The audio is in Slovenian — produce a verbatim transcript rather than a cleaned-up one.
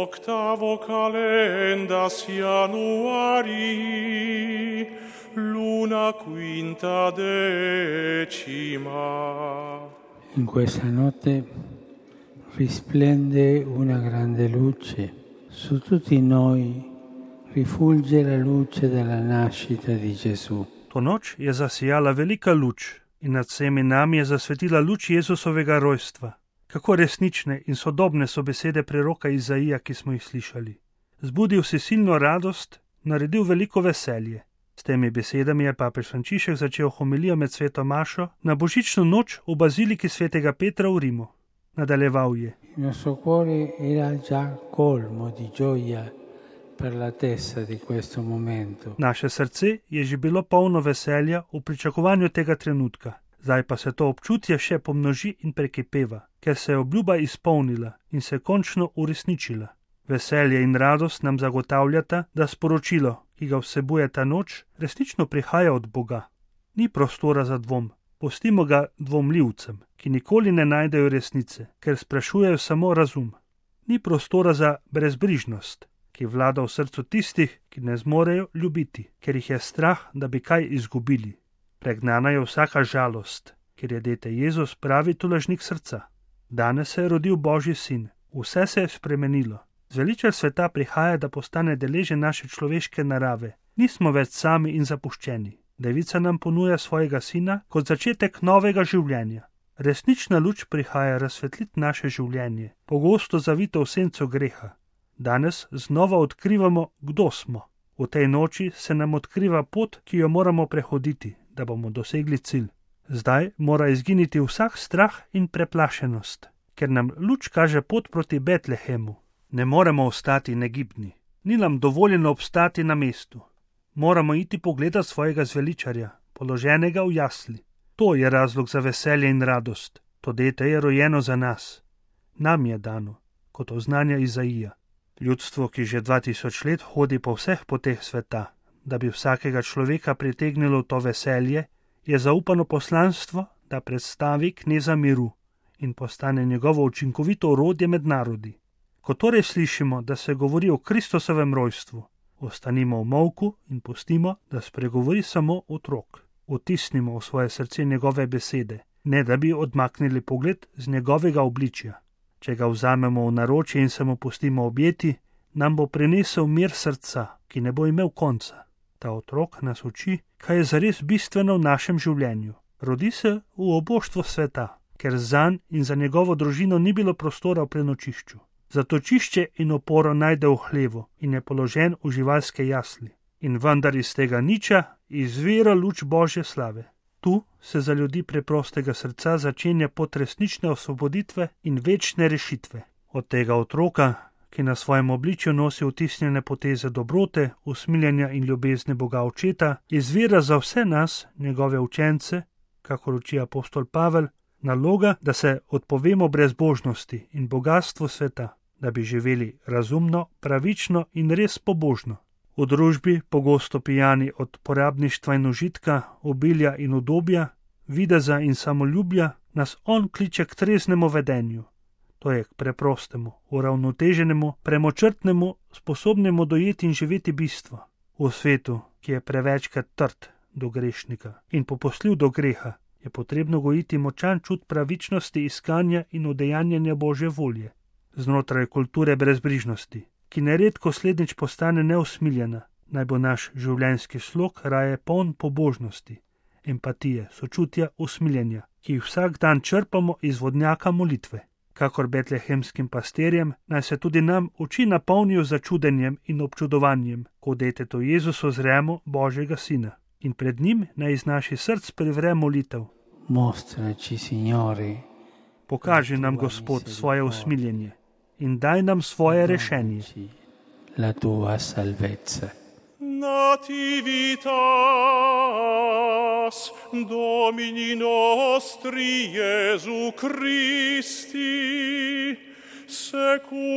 octavo calendas Januari, luna quinta decima. In questa notte risplende una grande luce. Su tutti noi rifulge la luce della nascita di Gesù. To noč je zasijala velika luč in nad vsemi nami je zasvetila luč Jezusovega rojstva. Kako resnične in sodobne so besede preroka Izaija, ki smo jih slišali. Zbudil si silno radost, naredil veliko veselje. S temi besedami je papež Frančišek začel homilijo med sveto mašo na božično noč v baziliki svetega Petra v Rimu. Nadaljeval je: Il nostro cuore era già colmo di gioia per l'attesa di questo momento. Naše srce je že bilo polno veselja v pričakovanju tega trenutka. Zdaj pa se to občutje še pomnoži in prekipeva, ker se je obljuba izpolnila in se končno uresničila. Veselje in radost nam zagotavljata, da sporočilo, ki ga vsebuje ta noč, resnično prihaja od Boga. Ni prostora za dvom. Pustimo ga dvomljivcem, ki nikoli ne najdejo resnice, ker sprašujejo samo razum. Ni prostora za brezbrižnost, ki vlada v srcu tistih, ki ne zmorejo ljubiti, ker jih je strah, da bi kaj izgubili. Pregnana je vsaka žalost, ker je dete Jezus pravi tolažnik srca. Danes se je rodil Božji sin, vse se je spremenilo. Zveličar sveta prihaja, da postane deležen naše človeške narave. Nismo več sami in zapuščeni. Devica nam ponuja svojega sina kot začetek novega življenja. Resnična luč prihaja razsvetliti naše življenje, pogosto zavito v senco greha. Danes znova odkrivamo, kdo smo. V tej noči se nam odkriva pot, ki jo moramo prehoditi, da bomo dosegli cilj. Zdaj mora izginiti vsak strah in preplašenost, ker nam luč kaže pot proti Betlehemu. Ne moremo ostati negibni. Ni nam dovoljeno obstati na mestu. Moramo iti pogledat svojega zveličarja, položenega v jasli. To je razlog za veselje in radost. To dete je rojeno za nas. Nam je dano, kot oznanja Izaija. Ljudstvo, ki že dva tisoč let hodi po vseh poteh sveta, da bi vsakega človeka pritegnilo v to veselje, je zaupano poslanstvo, da predstavi kneza miru in postane njegovo učinkovito orodje med narodi. Ko torej slišimo, da se govori o Kristusovem rojstvu, ostanimo v molku in pustimo, da spregovori samo otrok. Vtisnimo v svoje srce njegove besede, ne da bi odmaknili pogled z njegovega obličja. Če ga vzamemo v naročje in se mu pustimo objeti, nam bo prinesel mir srca, ki ne bo imel konca. Ta otrok nas uči, kaj je zares bistveno v našem življenju. Rodi se v oboštvo sveta, ker zanj in za njegovo družino ni bilo prostora v prenočišču. Zatočišče in oporo najde v hlevu in je položen v živalske jasli. In vendar iz tega niča izvira luč Božje slave. Tu se za ljudi preprostega srca začenja pot resnične osvoboditve in večne rešitve. Od tega otroka, ki na svojem obličju nosi vtisnjene poteze dobrote, usmiljenja in ljubezni Boga Očeta, izvira za vse nas, njegove učence, kakor uči apostol Pavel, naloga, da se odpovemo brezbožnosti in bogatstvu sveta, da bi živeli razumno, pravično in res pobožno. V družbi, pogosto pijani od porabništva in užitka, obilja in udobja, videza in samoljubja, nas on kliče k treznemu vedenju. To je k preprostemu, uravnoteženemu, premočrtnemu, sposobnemu dojeti in živeti bistvo. V svetu, ki je prevečkrat trd do grešnika in popustljiv do greha, je potrebno gojiti močan čut pravičnosti, iskanja in udejanjanja Božje volje. Znotraj kulture brezbrižnosti, ki neredko slednjič postane neusmiljena, naj bo naš življenjski slog raje poln pobožnosti, empatije, sočutja, usmiljenja, ki jih vsak dan črpamo iz vodnjaka molitve. Kakor betlehemskim pastirjem, naj se tudi nam oči napolnijo začudenjem in občudovanjem, ko detetu Jezusu zremo Božjega Sina. In pred njim naj iz naših src privre molitev. Mostraci, Signore, pokaži nam, Gospod, svoje usmiljenje in daj nam svoje rešenje. La tua salvezza. Nativitas Domini nostri Iesu Christi secundum